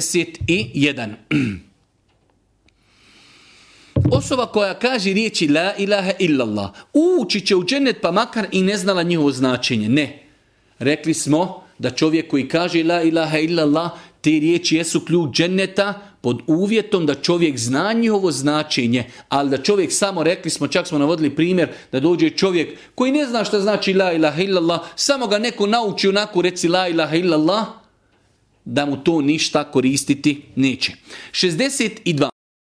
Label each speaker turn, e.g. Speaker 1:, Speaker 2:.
Speaker 1: 61. Osoba koja kaže riječi la ilaha illallah ući će u džennet pa makar i ne znala njihovo značenje. Ne. Rekli smo da čovjek koji kaže la ilaha illallah, te riječi jesu ključ dženneta pod uvjetom da čovjek zna njihovo značenje, ali da čovjek samo, rekli smo, čak smo navodili primjer da dođe čovjek koji ne zna šta znači la ilaha illallah, samo ga neko nauči onako reci la ilaha illallah, da mu to ništa koristiti neće. 62.